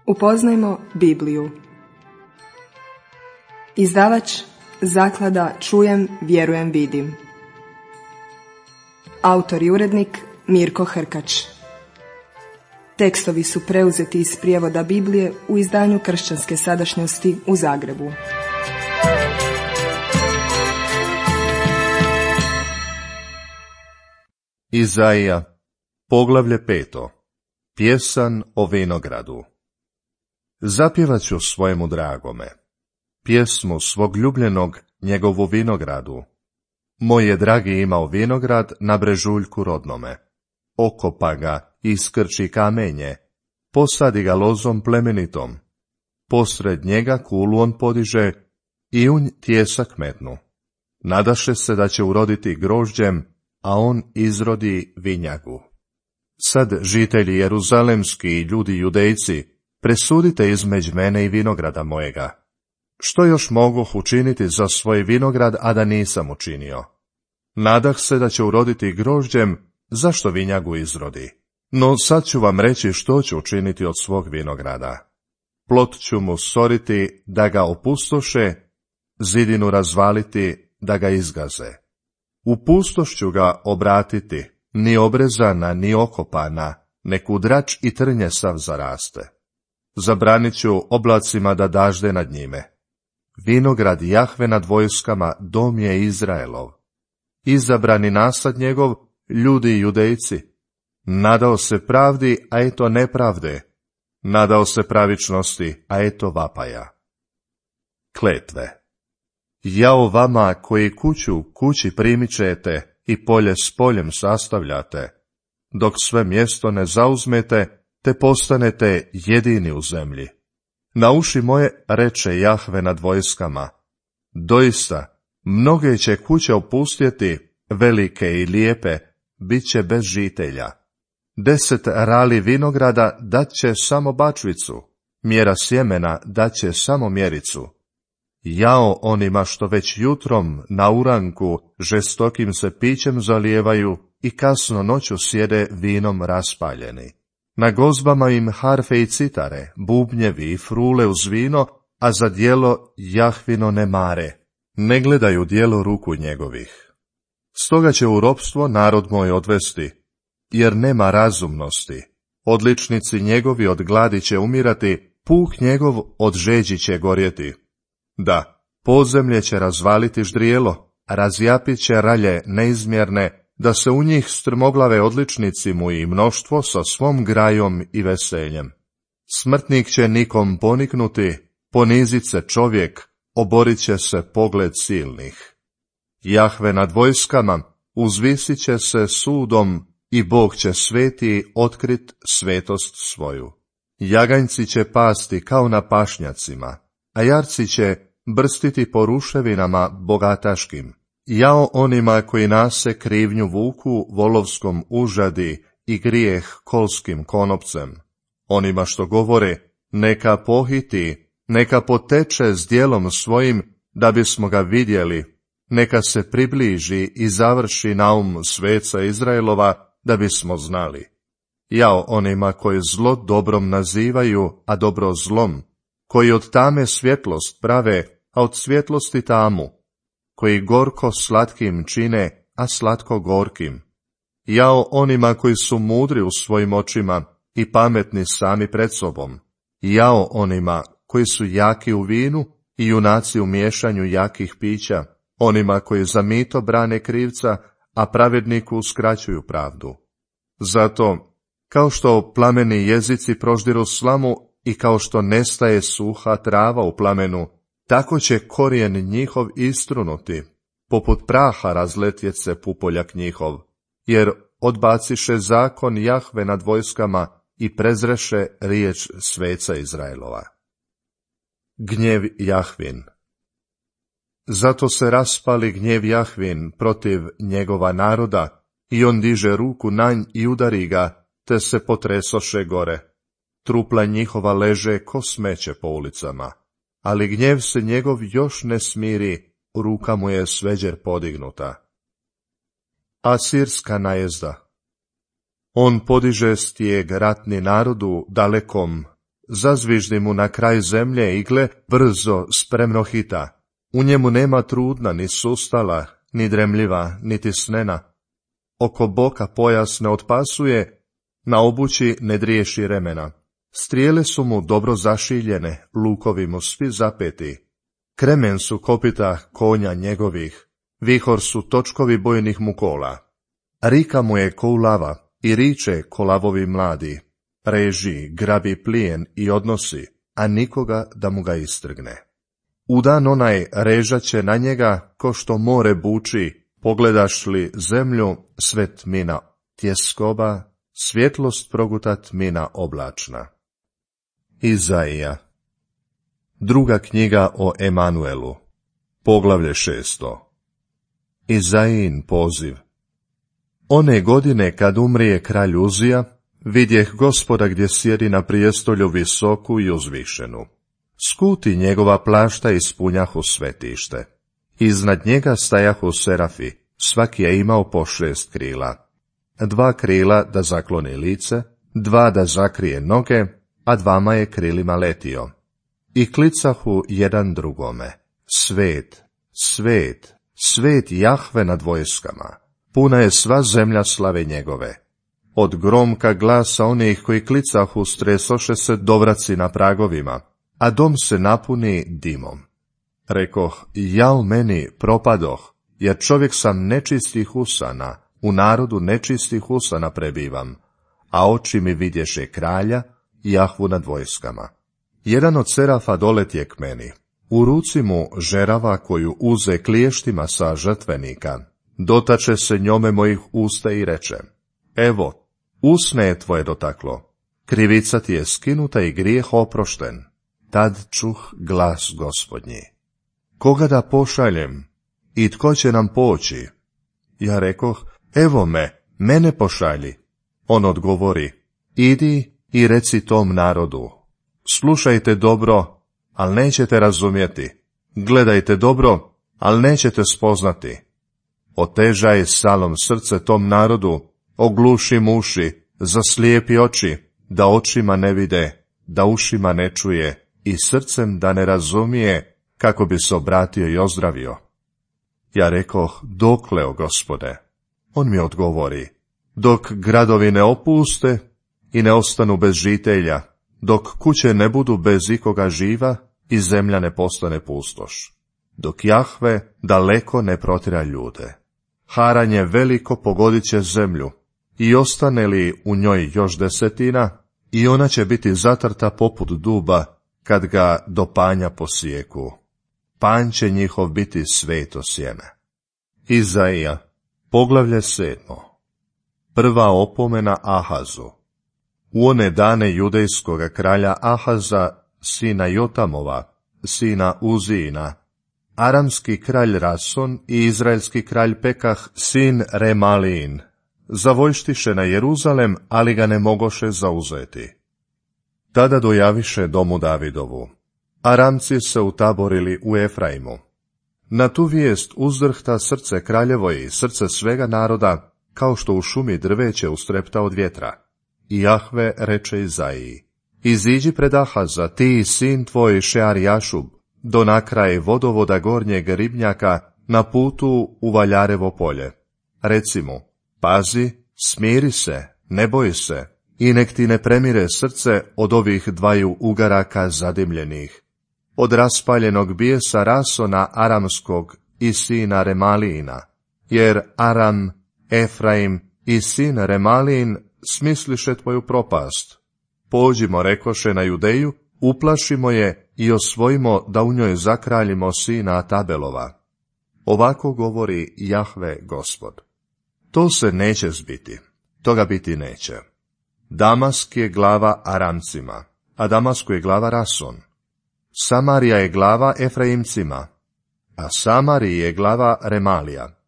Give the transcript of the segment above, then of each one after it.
Upoznajmo Bibliju. Izdavač Zaklada Čujem, vjerujem, vidim. Autor i urednik Mirko Hrkač. Tekstovi su preuzeti iz prijevoda Biblije u izdanju Kršćanske sadašnjosti u Zagrebu. Izaija, poglavlje 5. Pjesan o vinogradu. Zapjevat ću svojemu dragome pjesmu svog ljubljenog njegovu vinogradu. Moj je dragi imao vinograd na brežuljku rodnome. Okopa ga i iskrči kamenje, posadi ga lozom plemenitom. Posred njega kulu on podiže i unj tijesak metnu. Nadaše se da će uroditi grožđem, a on izrodi vinjagu. Sad, žitelji jeruzalemski i ljudi judejci, presudite između mene i vinograda mojega. Što još mogu učiniti za svoj vinograd, a da nisam učinio? Nadah se da će uroditi grožđem, zašto vinjagu izrodi? No sad ću vam reći što ću učiniti od svog vinograda. Plot ću mu soriti da ga opustoše, zidinu razvaliti da ga izgaze. U pustoš ću ga obratiti, ni obrezana, ni okopana, nek udrač i trnje sav zaraste. Zabranit ću oblacima da dažde nad njime. Vinograd Jahve nad vojskama, dom je Izraelov. Izabrani nasad njegov, ljudi judejci. Nadao se pravdi, a eto nepravde. Nadao se pravičnosti, a eto vapaja. Kletve. Jao vama koji kuću kući primičete i polje s poljem sastavljate, dok sve mjesto ne zauzmete, te postanete jedini u zemlji. Na uši moje reče Jahve nad vojskama, doista, mnoge će kuće opustjeti, velike i lijepe, bit će bez žitelja. 10 rali vinograda dat će samo bačvicu, mjera sjemena dat će samo mjericu. Jao onima što već jutrom na uranku žestokim se pićem zalijevaju i kasno noću sjede vinom raspaljeni. Na gozbama im harfe i citare, bubnjevi i frule uz vino, a za djelo Jahvino ne mare, ne gledaju djelo ruku njegovih. Stoga će u ropstvo narod moj odvesti, jer nema razumnosti. Odličnici njegovi od gladi će umirati, puh njegov od žeđi će gorjeti. Da, podzemlje će razvaliti ždrijelo, razjapit će ralje neizmjerne, da se u njih strmoglave odličnici mu i mnoštvo sa svom grajom i veseljem. Smrtnik će nikom poniknuti, ponizit se čovjek, oborit će se pogled silnih. Jahve nad vojskama uzvisit će se sudom i Bog će sveti otkrit svetost svoju. Jaganjci će pasti kao na pašnjacima, a jarci će brstiti po ruševinama bogataškim. Jao onima koji nase krivnju vuku volovskom užadi i grijeh kolskim konopcem. Onima što govore, neka pohiti, neka poteče s djelom svojim, da bismo ga vidjeli, neka se približi i završi naum sveca Izraelova, da bismo znali. Jao onima koji zlo dobrom nazivaju, a dobro zlom, koji od tame svjetlost prave, a od svjetlosti tamu, koji gorko slatkim čine, a slatko gorkim. Jao onima koji su mudri u svojim očima i pametni sami pred sobom. Jao onima koji su jaki u vinu i junaci u miješanju jakih pića, onima koji za mito brane krivca, a pravedniku uskraćuju pravdu. Zato, kao što plameni jezici proždiru slamu i kao što nestaje suha trava u plamenu, tako će korijen njihov istrunuti, poput praha razletjet se pupoljak njihov, jer odbaciše zakon Jahve nad vojskama i prezreše riječ sveca Izraelova. Gnjev Jahvin. Zato se raspali gnjev Jahvin protiv njegova naroda, i on diže ruku na nj i udari ga, te se potresoše gore. Trupla njihova leže ko smeće po ulicama, ali gnjev se njegov još ne smiri, ruka mu je sveđer podignuta. Asirska najezda. On podiže stijeg ratni narodu dalekom, zazviždi mu na kraj zemlje i gle, brzo, spremno hita. U njemu nema trudna, ni sustala, ni dremljiva, niti snena. Oko boka pojas ne otpasuje, na obući ne driješi remena. Strijele su mu dobro zašiljene, lukovi mu svi zapeti. Kremen su kopita konja njegovih, vihor su točkovi bojnih mu kola. Rika mu je ko lava i riče ko lavovi mladi. Reži, grabi plijen i odnosi, a nikoga da mu ga istrgne. U dan onaj režaće na njega ko što more buči, pogledaš li zemlju, sve tmina tjeskoba, svjetlost proguta tmina oblačna. Izaija. Druga knjiga o Emanuelu. Poglavlje 6. Izaijin poziv. One godine kad umrije kralj Uzija, vidjeh Gospoda gdje sjedi na prijestolju visoku i uzvišenu. Skuti njegova plašta ispunjahu svetište. Iznad njega stajahu serafi, svaki je imao po 6 krila. 2 krila da zakloni lice, 2 da zakrije noge, a 2 je krilima letio. I klicahu jedan drugome: Svet, svet, svet Jahve nad vojskama, puna je sva zemlja slave njegove. Od gromka glasa onih koji klicahu stresoše se dovraci na pragovima, a dom se napuni dimom. Rekoh, jao meni, propadoh, jer čovjek sam nečistih usana, u narodu nečistih usana prebivam, a oči mi vidješe kralja, Jahvu nad vojskama. Jedan od serafa doletje k meni, u ruci mu žerava koju uze kliještima sa žrtvenika, dotače se njome mojih usta i reče: Evo, usne je tvoje dotaklo, krivica ti je skinuta i grijeh oprošten. Tad čuh glas Gospodnji: Koga da pošaljem i tko će nam poći? Ja rekoh: Evo mene pošalji. On odgovori: Idi i reci tom narodu: Slušajte dobro, ali nećete razumjeti. Gledajte dobro, ali nećete spoznati. Otežaj salom srce tom narodu, ogluši uši, zaslijepi oči, da očima ne vide, da ušima ne čuje i srcem da ne razumije, kako bi se obratio i ozdravio. Ja rekoh: Dokle, o Gospode? On mi odgovori: Dok gradovi ne opuste i ne ostanu bez žitelja, dok kuće ne budu bez ikoga živa i zemlja ne postane pustoš, dok Jahve daleko ne protjera ljude. Haranje veliko pogodit će zemlju, i ostane li u njoj još 10, i ona će biti zatrta poput duba, kad ga do panja posijeku. Panj će njihov biti sveto sjeme. Izaija, poglavlje 7. Prva opomena Ahazu. U one dane judejskoga kralja Ahaza, sina Jotamova, sina Uzijina, aramski kralj Rason i izraelski kralj Pekah, sin Remalijin, zavojštiše na Jeruzalem, ali ga ne mogoše zauzeti. Tada dojaviše domu Davidovu. Aramci se utaborili u Efraimu. Na tu vijest uzdrhta srce kraljevo i srce svega naroda, kao što u šumi drveće ustrepta od vjetra. I Jahve reče Izaiji: Iziđi pred Ahaza, ti i sin tvoj Šearjašub, do nakraje vodovoda gornjeg ribnjaka, na putu u Valjarevo polje. Reci mu: Pazi, smiri se, ne boj se, i nek ti ne premire srce od ovih 2 ugaraka zadimljenih, od raspaljenog bijesa Rasona aramskog i sina Remalijina, jer Aram, Efraim i sin Remalijin smisliše tvoju propast. Pođimo, rekoše, na Judeju, uplašimo je i osvojimo da u njoj zakraljimo sina Tabelova. Ovako govori Jahve Gospod: To se neće zbiti, toga biti neće. Damask je glava Aramcima, a Damasku je glava Rason. Samarija je glava Efraimcima, a Samariji je glava Remalija.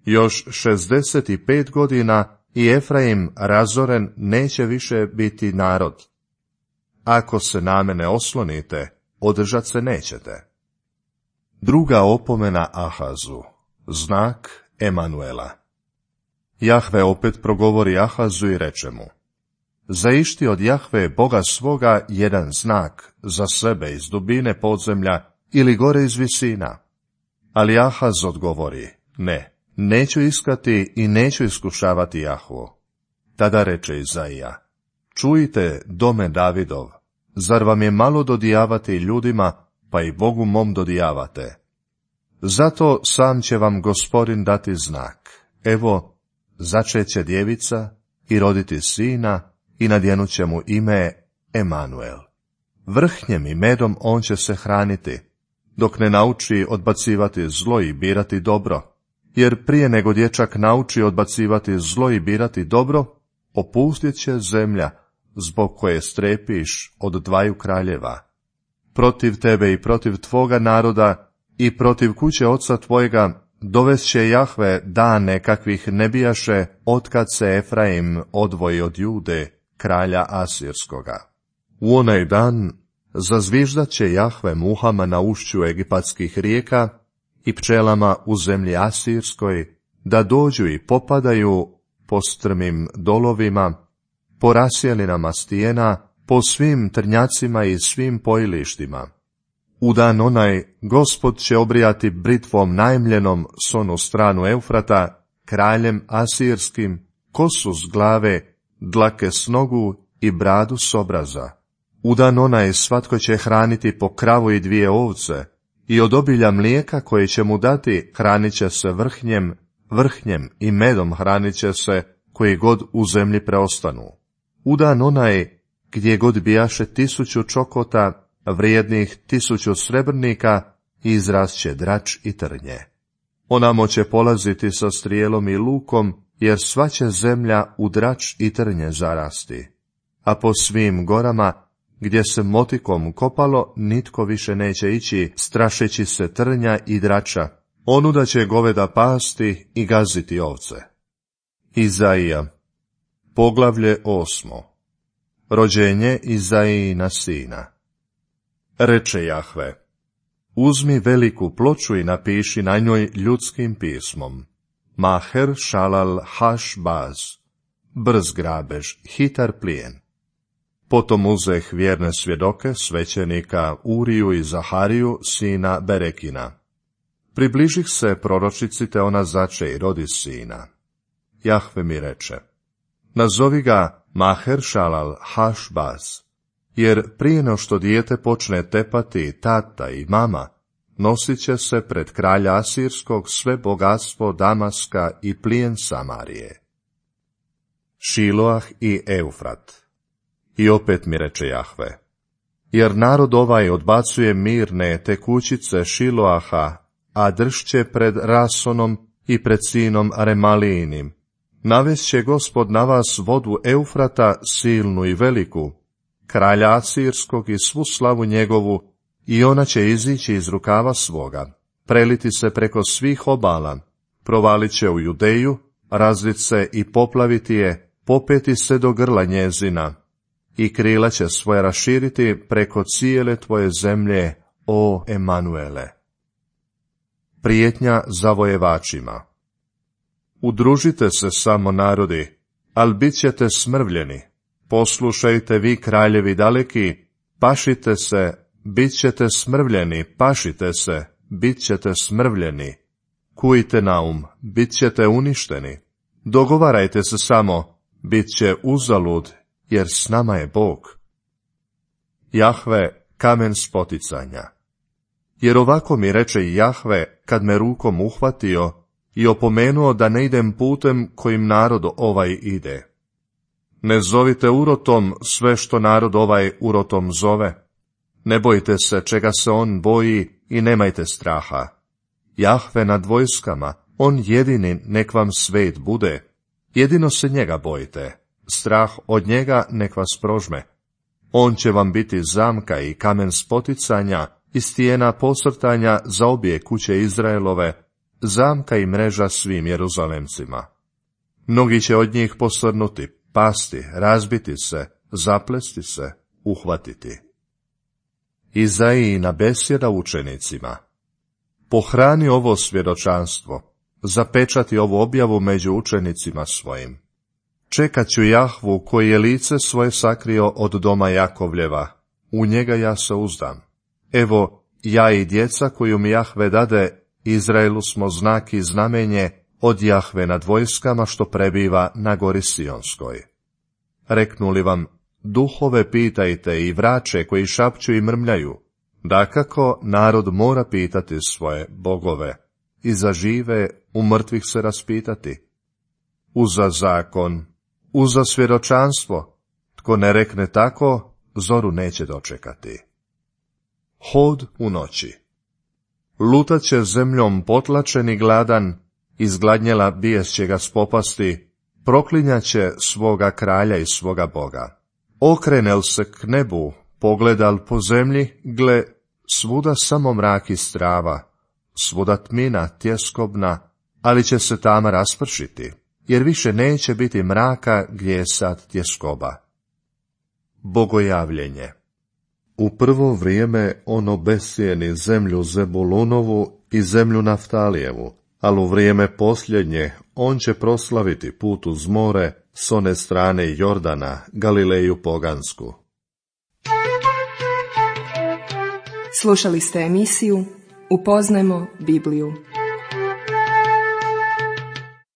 Još 65 godina i Efraim razoren neće više biti narod. Ako se na mene oslonite, održat se nećete. Druga opomena Ahazu, znak Emanuela. Jahve opet progovori Ahazu i reče mu: zaišti od Jahve Boga svoga jedan znak za sebe iz dubine podzemlja ili gore iz visina. Ali Ahaz odgovori, ne, neću iskati i neću iskušavati Jahvu. Tada reče Izaija, čujte, dome Davidov, zar vam je malo dodijavati ljudima, pa i Bogu mom dodijavate? Zato sam će vam Gospodin dati znak. Evo, začeće djevica i roditi sina i nadjenut će mu ime Emanuel. Vrhnjem i medom on će se hraniti, dok ne nauči odbacivati zlo i birati dobro. Jer prije nego dječak nauči odbacivati zlo i birati dobro, opustit će zemlja, zbog koje strepiš od dvaju kraljeva. Protiv tebe i protiv tvoga naroda i protiv kuće oca tvojega dovest će Jahve dane kakvih ne bijaše otkad se Efraim odvoji od Jude, kralja Asirskoga. U onaj dan zazviždat će Jahve muhama na ušću egipatskih rijeka i pčelama u zemlji Asirskoj, da dođu i popadaju po strmim dolovima, po rasjelinama stijena, po svim trnjacima i svim pojilištima. U dan onaj Gospod će obrijati britvom najmljenom s onu stranu Eufrata, kraljem Asirskim, kosu s glave, dlake s nogu i bradu s obraza. U dan onaj svatko će hraniti po kravu i 2 ovce, i od obilja mlijeka koje će mu dati hranit će se vrhnjem i medom hranit će se koji god u zemlji preostanu. U dan onaj gdje god bijaše 1000 čokota, vrijednih 1000 srebrnika, izrasće drač i trnje. Onamo će polaziti sa strijelom i lukom, jer sva će zemlja u drač i trnje zarasti. A po svim gorama, gdje se motikom kopalo, nitko više neće ići, strašeći se trnja i drača. Onuda će goveda pasti i gaziti ovce. Izaija, poglavlje 8. Rođenje Izaijina sina. Reče Jahve, uzmi veliku ploču i napiši na njoj ljudskim pismom. Maher šalal haš baz, brz grabež, hitar plijen. Potom uzeh vjerne svjedoke, svećenika Uriju i Zahariju, sina Berekina. Približih se proročici, te ona zače i rodi sina. Jahve mi reče, nazovi ga Maher šalal haš baz, jer prije no što dijete počne tepati tata i mama, nosit će se pred kralja Asirskog sve bogatstvo Damaska i plijen Samarije. Šiloah i Eufrat. I opet mi reče Jahve, jer narod ovaj odbacuje mirne tekućice Šiloaha, a dršće pred Rasonom i pred sinom Remalijinim. Navest će Gospod na vas vodu Eufrata, silnu i veliku, kralja Asirskog i svu slavu njegovu, i ona će izići iz rukava svoga, preliti se preko svih obala, provalit će u Judeju, razlit se i poplaviti je, popeti se do grla njezina, i krila će svoje raširiti preko cijele tvoje zemlje, o Emanuele. Prijetnja zavojevačima. Udružite se samo narodi, al bit ćete smrvljeni. Poslušajte vi kraljevi daleki, pašite se, bit ćete smrvljeni, pašite se, bit ćete smrvljeni. Kujte naum, bit ćete uništeni. Dogovarajte se samo, bit će uzalud, jer s nama je Bog. Jahve, kamen spoticanja. Jer ovako mi reče Jahve, kad me rukom uhvatio i opomenuo da ne idem putem kojim narod ovaj ide. Ne zovite urotom sve što narod ovaj urotom zove. Ne bojte se čega se on boji i nemajte straha. Jahve nad vojskama, on jedini nek vam svet bude. Jedino se njega bojite. Strah od njega nek vas prožme. On će vam biti zamka i kamen spoticanja i stijena posrtanja za obje kuće Izraelove, zamka i mreža svim Jeruzalemcima. Mnogi će od njih posrnuti, pasti, razbiti se, zaplesti se, uhvatiti. Izaijina besjeda učenicima. Pohrani ovo svjedočanstvo, zapečati ovu objavu među učenicima svojim. Čekat ću Jahvu koji je lice svoje sakrio od doma Jakovljeva, u njega ja se uzdam. Evo, ja i djeca koju mi Jahve dade, Izraelu smo znak i znamenje od Jahve nad vojskama što prebiva na gori Sionskoj. Reknuli vam, duhove pitajte i vraće koji šapću i mrmljaju, dakako narod mora pitati svoje bogove, i za žive u mrtvih se raspitati. Uza zakon, uza svjedočanstvo, tko ne rekne tako, zoru neće dočekati. Hod u noći. Lutat će zemljom potlačen i gladan, izgladnjela bijest će ga spopasti, proklinjaće svoga kralja i svoga Boga. Okrenel se k nebu, pogledal po zemlji, gle, svuda samo mrak i strava, svuda tmina tjeskobna, ali će se tama raspršiti, jer više neće biti mraka gdje je sad tjeskoba. Bogojavljenje. U prvo vrijeme on obesjeni zemlju Zebulunovu i zemlju Naftalijevu, ali u vrijeme posljednje on će proslaviti put uz more s one strane Jordana, Galileju pogansku. Slušali ste emisiju Upoznajmo Bibliju.